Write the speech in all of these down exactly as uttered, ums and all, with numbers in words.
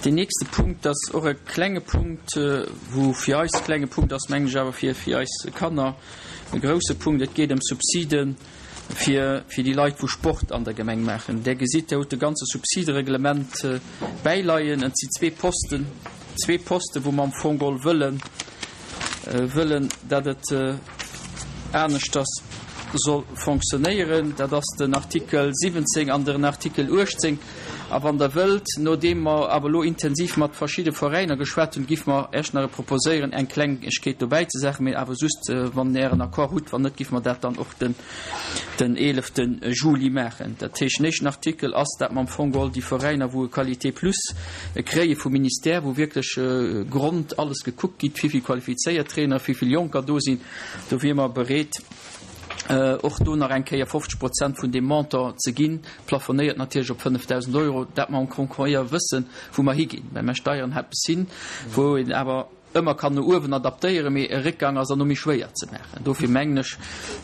Deen nächste Punkt ass och e klenge Punkt, wou fir eis e klenge Punkt ass, mengen ech, awer fir fir eis Kanner e grouse Punkt. Et geet ëm Subside fir fir déi Leit, wou Sport an der Gemeng maachen. Der gesitt, Der hutt de ganze Subsidereglement bäileien. Et si zwee Posten, zwee Posten, wou mer am Fong geholl wëllen, wëllen, datt et aneschters soll fonctionnéieren. Dat ass den Artikel siwwenzéng an den Artikel uechtzéng. A wann Der wëllt, nodeem mer awer elo intensiv mat verschidde Veräiner geschwat hunn, giff mer Iech nach proposéieren, eng Klengegkeet dobäizesetzen, mee awer just, wann Der Ären Accord hutt. Wann net, giff mer dat dann och den, den eelefte Juli maachen. Dat heescht, den éischten Artikel ass, dat mer am Fong geholl déi Veräiner, wou e Qualité plus kréie vum Ministère, wou wierklech grond alles gekuckt gitt, wéivill qualifizéiert Trainer, wéivill Jonker do sinn, do wier mer bereet, och do nach eng Kéier fofzeg Prozent vun deem Montant ze ginn, plafonéiert natierlech op fënnefdausend Euro, dat mer am Concours wëssen, wou mer higinn, well mer steieren eppes hin, wou een awer ëmmer kann no uewen adaptéieren, mee e Réckgang ass dann no méi schwéier ze maachen. Dofir mengen ech,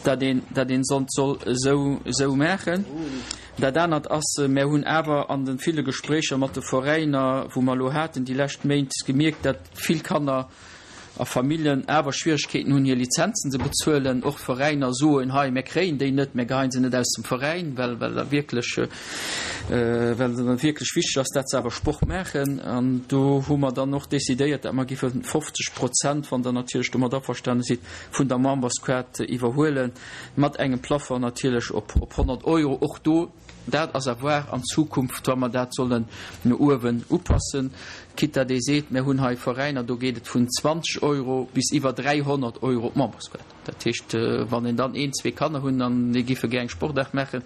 dat een dat een sonst soll esou esou maachen. Dat anert ass, mär hunn awer an de ville Gespréicher mat de Veräiner, wou mer elo haten déi lescht Méint, gemierkt, dat vill Kanner a Familljen awer Schwieregkeeten hunn, hir Lizenzen ze bezuelen. Och d'Veräiner soen, hei, mir kréien déi net, mir geheien se net aus dem Veräin, well well da wierklech, well et dann wierklech wichteg ass, dat se awer Sport maachen. An do hu mer dann och decidéiert, dat mer giffe fofzeg Prozent, wann Der natierlech domat averstane sidd, vun der Memberskaart iwwerhuelen, mat engem Plafond natierlech op honnert Euro. Och do, dat ass à voir an Zukunft, wa mer dat sollen no uewen upassen, quitte datt ee seet, mir hunn hei Veräiner, do geet et vun zwanzeg Euro bis iwwer dräihonnert Euro d'Memberskaart. Dat heescht, wann een dann een, zwee Kanner hunn an déi giffe gär eng Sportaart maachen,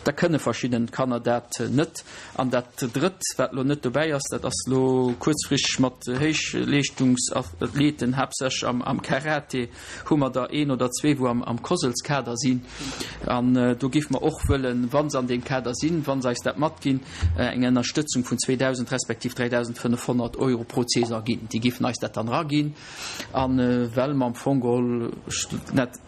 da kënne verschidden Kanner dat net. An dat Drëtt, wat elo net dobäi ass, dat ass elo kuerzfristeg mat Héichleeschtungsathleten, haaptsächlech am Karate, hu mer der een oder zwee, wou am COSLs-Kader sinn. An do géife mer och wëllen, wa se an deem Kader sinn, wa se eis dat matginn, eng Ënnerstëtzung vun zweedausend respektiv dräidausendfënnefhonnert Euro pro Saison ginn. Déi géifen eis dat dann eraginn. A well mer am Fong geholl, ech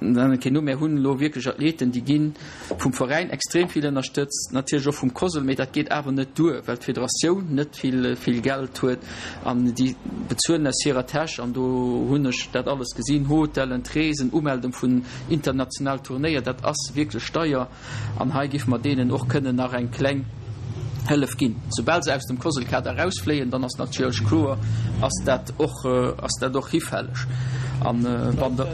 nennen keen Numm, mir hunn elo wierklech Athleten, déi gi vum Veräin extrem vill ënnerstëtzt, natierlech och vum COSL, mee dat geet awer net duer, well d'Federatioun net vill, vill Geld huet an déi bezuelen aus hirer Täsch. An do hunn ech dat alles gesinn, Hotellen, d'Reesen, Umeldung vun international Turnéier, dat ass wierklech deier. An hei géife mer deenen och kënnen nach eng kleng Hëllef ginn. Soubal se aus dem COSL-Kader erausfléien, dann ass natierlech kloer, ass dat och, ass dat och hifälleg. An wann der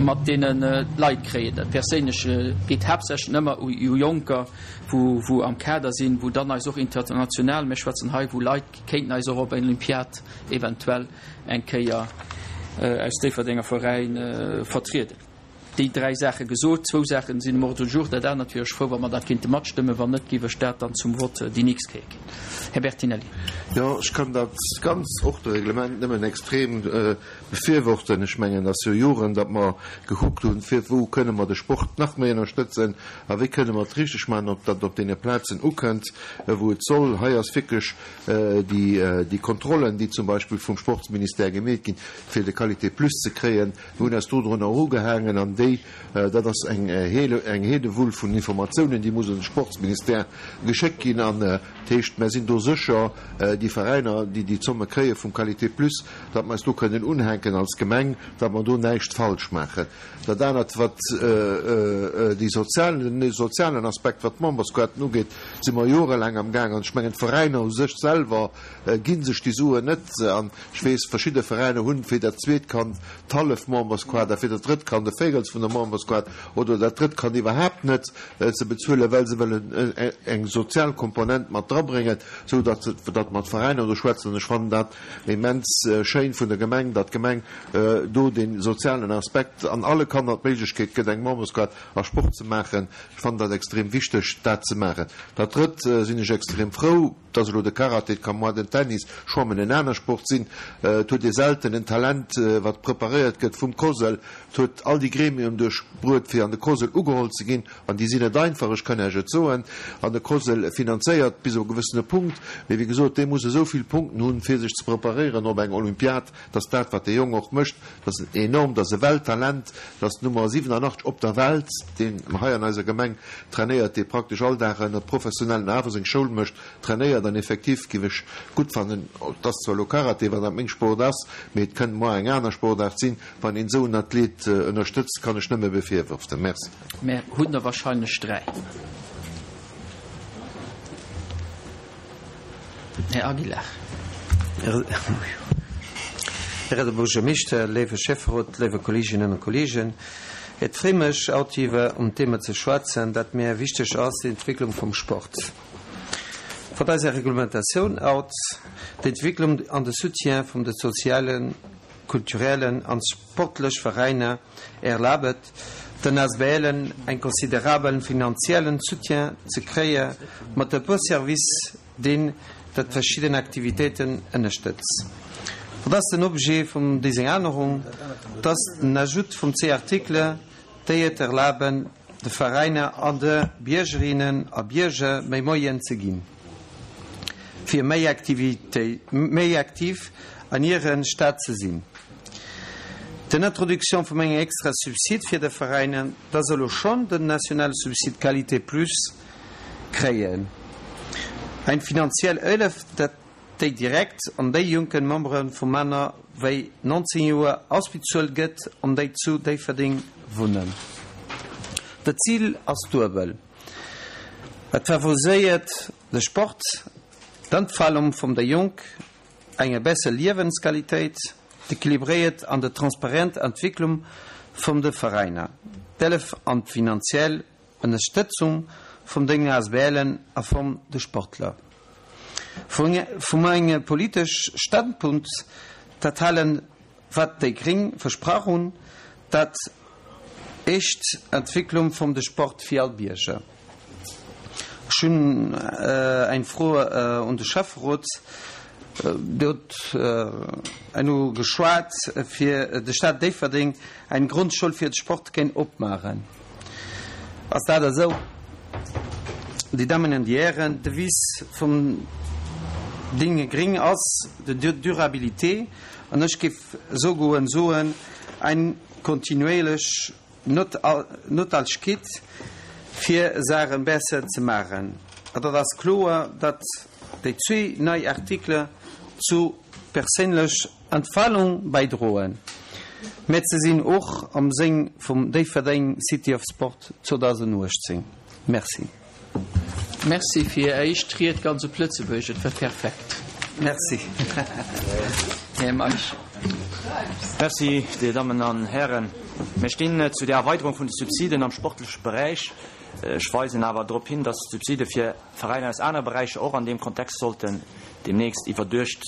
mat deene Leit kréien dat perséinlech, geet haaptsächlech ëmmer u Jonker, wou, wou am Kader sinn, wou dann eis och international, mir schwätzen hei wou Leit kéinten eis och op eng Olympiad eventuell eng Kéier aus Déifferdenger Veräin vertrieden. Déi dräi Saache gesot. Zwou Saache sinn um Ordre du jour. Dat anert wier ech frou, wa mer dat kéinte matstëmmen. Wann net, géif ech dat dann zum Vott déi nächst Kéier ginn. Här Bertinelli. Jo, ech kann dat ganz Ordre-Reglement nëmmen extrem befürworten. Ech mengen, et ass jo Joren, datt mer gekuckt hunn, fir wou kënne mer de Sport nach méi ënnerstëtzen a wéi kënne mer et richteg maachen, ob dat op deene Plazen ukënnt, wou et soll. Hei ass wierklech déi, déi Kontrollen, déi zum Beispill vum Sportsministère gemeet ginn, fir de Qualité plus ze kréien, mir hunn eis dodrunner erugehaangen an déi, dat ass eng eng Heedewull vun Informatiounen, déi muss un de Sportsministère geschéckt ginn. An dat heescht, mer sinn do sécher, déi Veräiner, déi déi Zomme kréie vum Qualité plus, datt mer eis do kënnen unhänken als Gemeng, datt mer do näischt falsch maachen. Dat anert, wat déi sozial, den sozialen Aspekt, wat d'Membersquoten ugeet, si mer jorelaang amgaang. An ech mengen, d'Veräiner u sech selwer gi sech déi Suen net. An ech weess, verschidde Veräiner hunn fir dat zweet Kand d'hallef Membersquote a fir dat drëtt Kand e Véirels vun der Membersquote oder dat drëtt Kand iwwerhaapt net ze bezuelen, well se wëllen eng sozial Komponent mat drabréngen, sou datt datt mer d'Veräiner do schwätzen. An ech fannen dat immens schéin vun der Gemeng, datt d'Gemeng do dee sozialen Aspekt an alle Kanner d'Méiglechkeet gëtt, eng Membersquote a Sport ze maachen. Ech fannen dat extrem wichteg, dat ze maachen. Dat Drëtt sinn ech extrem frou, dass elo de Karate, et ka moar den Tennis, Schwammen en aner Sport sinn. Et huet ee selten en Talent, wat preparéiert gëtt vum COSL. Et huet all déi Gremien duerchbruet, fir an de COSL ugeholl ze ginn. An déi sinn net einfach, ech kann Iech et soen. An de COSL finanzéiert bis op e gewëssene Punkt. Mee wéi gesot, dee muss esou vill Punkten hunn, fir sech ze preparéieren op eng Olympiad, dass dat, wat dee Jong och mécht, dat ass enorm, dat ass e Welttalent, dat ass d'Nummer siwenanachtzeg op der Welt, deen hei an eiser Gemeng trainéiert, dee praktesch all Dag ënner professionelle professionellen awer seng Schoul mécht, trainéiert an effektiv géif ech gutt fannen, et ass zwar elo Karate, wann dat meng Sport ass, mee et kënnt muer eng aner Sportaart sinn, wann een esou en Athlet ënnerstëtzt, kann ech nëmme befürworten. Merci. Mär hunn der wahrscheinlech dräi. Här Aguilar. Här Buergermeeschter, léiwe Schäfferot, léiwe Kolleeginnen a Kolleegen, et freet mech, haut iwwer um Thema ze schwätzen, dat mir wichteg ass, d'Entwécklung vum Sport. Vun eiser Reglementatioun haut, d'Entwécklung an de Soutien vum de sozialen, kulturellen an sportlech Veräiner erlaabt den ASBLen eng considerabelen finanziellen Soutien ze kréie mat e puer Service, deen dat verschidden Aktivitéiten ënnerstëtzt. Wat ass den Objet vum dëser Ännerung? Dat ass den Ajout vum zwee Artikele, déi et erlaben, de Veräiner an de Biergerinnen a Bierger méi Moyen ze ginn, fir méi Aktivitéit, méi aktiv an hiren Stad ze sinn. Den Introduction vum engem extra Subsid fir de Veräiner, dat elo schonn den nationale Subsid Qualité Plus kréien. Eng finanziell Hëllef, dat déi direkt an déi jonken Membere vu manner wéi neunzéng Joer ausbezuelt gëtt an déi zu Déifferdeng wunnen. Dat Zil ass duebel. Et favoriséiert de Sport, d'Entfalung vum de Jonk, eng besser Liewensqualitéit, d'equilibréiert an de transparent Entwécklung vum de Veräiner, d'Hëllef an d'finanziell Ënnerstëtzung vum den ASBLen a vum de Sportler. Vum engem politesch Standpunkt, dat halen, wat déi Gréng versprach hunn, dat echt Entwécklung vum de Sport fir all Bierger. Ech hunn eng Fro un de Schäfferot. Dir hutt elo geschwat, fir de Stad Déifferdeng eng Grondschoul fir de Sport kéint opmaachen. Ass dat esou? Déi Dammen an déi Hären, d'Devise vum Déi Gréng ass de Durabilité an ech géif sougoen soen, eng kontinuéierlech Noutwendegkeet fir Saache besser ze maachen. An dat ass kloer, datt déi zwee nei Artikele zu perséinlech Entfalung bäidroen, mä se sinn och am Sënn vum Déifferdeng City of Sport zweedausenduechtzéng. Merci. Merci fir Är éischt Ried ganz op Lëtzebuergesch, et war perfekt. Merci. Här Meisch. Merci, Dir Dammen an Hären. Mir stinn zu der Erweiterung vun de Subsiden am sportleche Beräich. Ech weisen awer drop hin, dass d'Subside fir Veräiner aus anere Beräicher och an deem Kontext sollten deemnächst iwwerduecht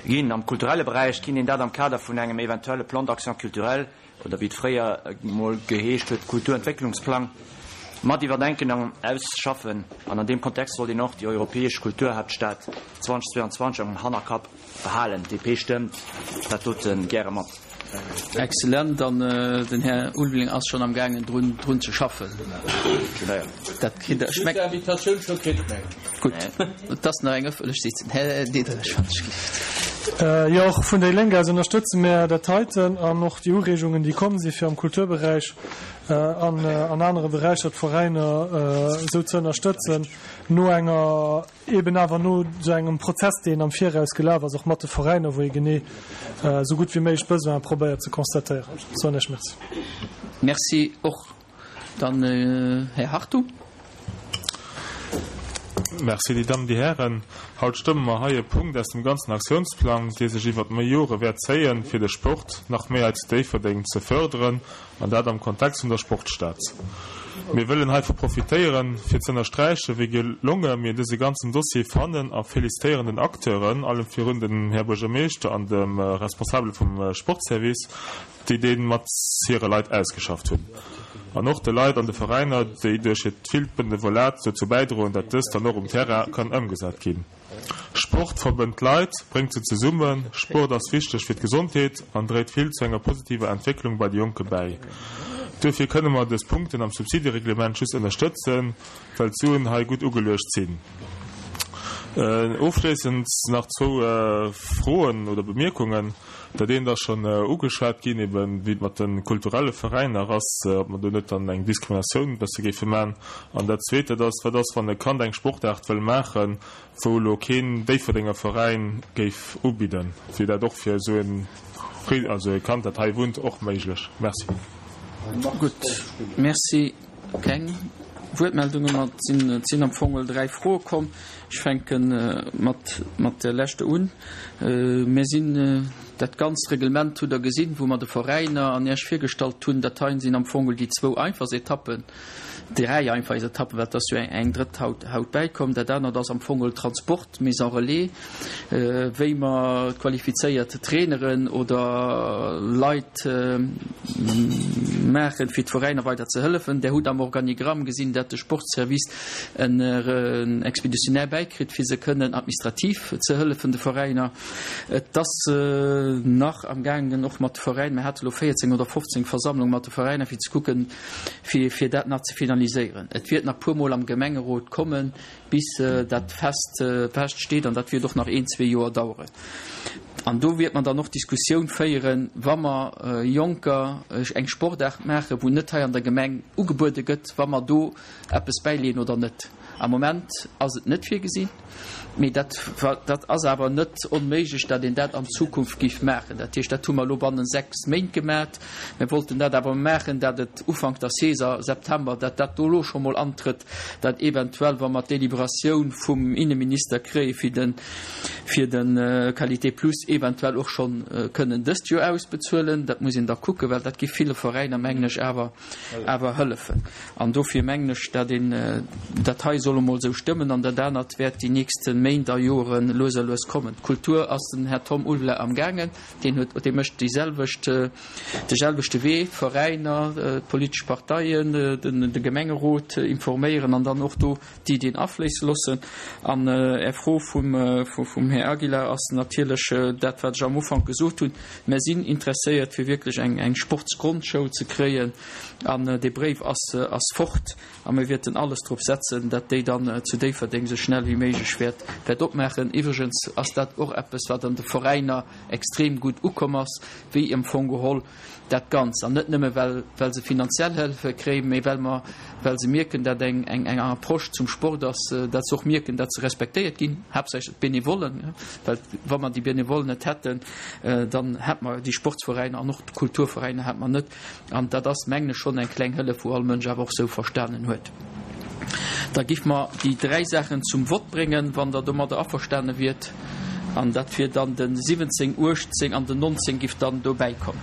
ginn. Am kulturelle Beräich kinnt een dat am Kader vun engem eventuelle Plan d'action culturel oder wéi et fréier emol geheescht huet, Kulturentwécklungsplang, mat iwwerdenken an ausschaffen. An an deem Kontext sollt een och déi europäesch Kulturhaaptstad zweedausendzweianzwanzeg am Hannerkapp behalen. D P stëmmt dat dote gäre mat. Excellent, an den Här Ulveling ass schonn am gaangen drun drun ze schaffen. Dat kritt der schmeckt. Invitatioun scho kritt, meng. Gutt, et ass nach eng ëffentlech Sitzung. Här Diderich, wann ech gelift. Jo, och vun déi Lénk aus ënnerstëtze mär dat heiten an och déi Ureegungen, déi komm si fir am Kulturberäich an an anere Beräicher d'Veräiner esou ze ënnerstëtzen, no enger eben awer no esou engem Prozess, deen am Viraus gelaf ass, och mat de Veräiner, wou ee genee esou gutt wéi méiglech d'Besoine probéiert ze constatéieren. Soen ech Merci. Merci och. Dann Här Hartung. Merci, Dir Dammen, Dir Hären. Haut stëmme mer hei e Punkt aus dem ganzen Aktiounsplang, dee sech iwwert méi Jore wäert zéien, fir de Sport nach méi hei zu Déifferdeng ze förderen, an dat am Kontext vun der Sportstad. Mir wëllen heivu profitéieren, fir ze ënnersträichen, wéi gelonge mir dëse ganzen Dossier fannen a felicitéieren den Acteuren, allem virun dem Här Buergermeeschter an dem Responsabele vum Sportservice, déi dee mat hire Leit ausgeschafft hunn. An och de Leit an de Veräiner, déi duerch hiert villt Benevolat dozou bäidroen, datt dëst dann och um Terrain kann ëmgesat ginn. Sport verbënnt d'Leit, bréngt se zesummen. Sport ass wichteg fir d'Gesondheet an dréit vill zu enger positiver Entwécklung bei de Jonke bäi. Duerfir kënne mer dës Punkten am Subsidereglement just ënnerstëtzen, well d'Suen hei gutt ugeluecht sinn. Ofschléissend nach zwou Froen oder Bemierkungen. Dat eent ass schonn ugeschwat ginn, eben wéi et mat de kulturelle Veräiner ass, ob mer do net dann eng Diskriminatioun e bësse géife maachen. An dat Zweet, dat ass, Wat ass, wann e Kand eng Sportaart wëll maachen, wou elo keen Déifferdenger Veräin géif ubidden? Wier dat och fir esou en, also e Kand, dat hei wunnt, och méiglech? Merci. Gutt, Merci. Keng Wuertmeldunge mer. Et sinn am Fong dräi Froe komm. Ech fänke mat mat der leschter un. Mir sinn dat ganzt Reglement hutt Der gesinn, wou mer de Veräiner an Iech virgestallt hunn. Dat heien sinn am Fong déi zwou einfachst Etappen, dräi einfachst Etappen, well et ass jo eng drëtt haut haut bäikomm. Dat anert ass am Fong Transport, Mise en relais, wéi mer qualifizéiert Traineren oder Leit maachen, fir d'Veräiner weider ze hëllefen. Der hutt am Organigramm gesinn, dat de Sportservice en Expéditionnaire bäikritt, fir se kënnen administrativ ze hëllefen, de Veräiner. Et ass nach am gaangen och mat de Veräiner, mir hate lo véierzéng oder fofzéng Versammlunge mat de Veräiner, fir ze kucken, fir fir dat nach ze finaliséieren. Et wäert nach puermol am Gemengerot kommen, bis dat fest fest steet, an dat wäert och nach een, zwee Joer daueren. An do wäert mer dann och d'Diskussioun féieren, wa mer Jonker eng Sportaart maachen, wou net hei an der Gemeng ugebuede gëtt, wa mer do eppes bäileeën oder net. Am Moment ass et net virgesinn, mee dat, dat ass awer net onméiglech, datt een dat an Zukunft géif maachen. Dat heescht, dat hu mer elo bannen sechs Méint gemat. Mir wollten dat awer maachen, datt et Ufank der Saison, September, datt dat do elo scho mol antrëtt, datt eventuell, wa mer d'Deliberatioun vum Inneminister kréie fir de, fir de Qualité Plus, eventuell och schonn kënnen dëst Joer ausbezuelen. Dat muss een da kucken, well dat géif ville Veräiner, mengen ech, awer, awer hëllefen. An dofir mengen ech, datt een dat hei soll emol esou stëmmen an dat anert wäert déi nächste Méint a Jore lues a lues kommen. D'Kultur ass den Här Tom Ulvela amgaangen, deen huet, dee mécht déi selwecht, de selwechte Wee, d'Veräiner, d'politesch Parteien, den, de Gemengerot informéieren an dann och do d'Iddien afléisse loossen. An Är Fro vum, vum Här Aguilar ass natierlech dat, wat ech am Ufank gesot hunn, Mer sinn interesséiert, fir wierklech eng, eng Sportsgrondschoul ze kréien an dee Bréif ass, ass fort a mir wäerten alles drop setzen, dat déi dann zu Déifferdeng esou schnell wéi méiglech wäert, wäert opmaachen. Iwwregens ass dat och eppes, wat an de Veräiner extrem gutt ukomm ass, wéi am Fong geholl dat Ganzt. An net nëmme well, well se finanziell Hëllefe kréien, mee well mer, well se mierken, dat eng, eng, eng Approche zum Sport ass, dat se och mierken, dat se respektéiert ginn, haaptsächlech d'Benevollen, well wa mer déi Benevollen net hätten, dann hätt mer déi Sportsveräiner an och d'Kulturveräiner hätt mer net. An dat ass, mengen ech, schonn eng kleng Hëllef, wou all Mënsch awer och esou verstanen huet. Da giff mer déi dräi Saachen zum Vott bréngen, wann Der domadder averstane wiert. An dat wier dann de siwwenzéng, uechtzéng an den nonzéng giff dann dobäi kommen.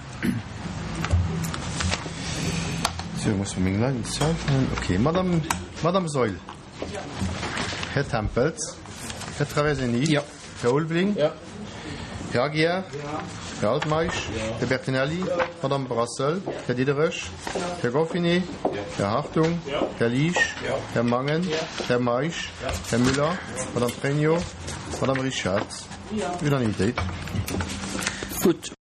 Sou, muss mer meng Leit initial fannen. Okay, Madame, Madame Saeul. Här Tempels. Här Traversini. Jo. Här Ulveling. Jo. Här Aguiar. Här Altmeisch. Här Bertinelli. Madame Brassel. Här Diderich. Här Goffinet. Här Hartung. Här Liesch. Här Mangen. Här Meisch. Här Müller. Madame Pregno. Madame Richard. Unanimitéit. Gutt,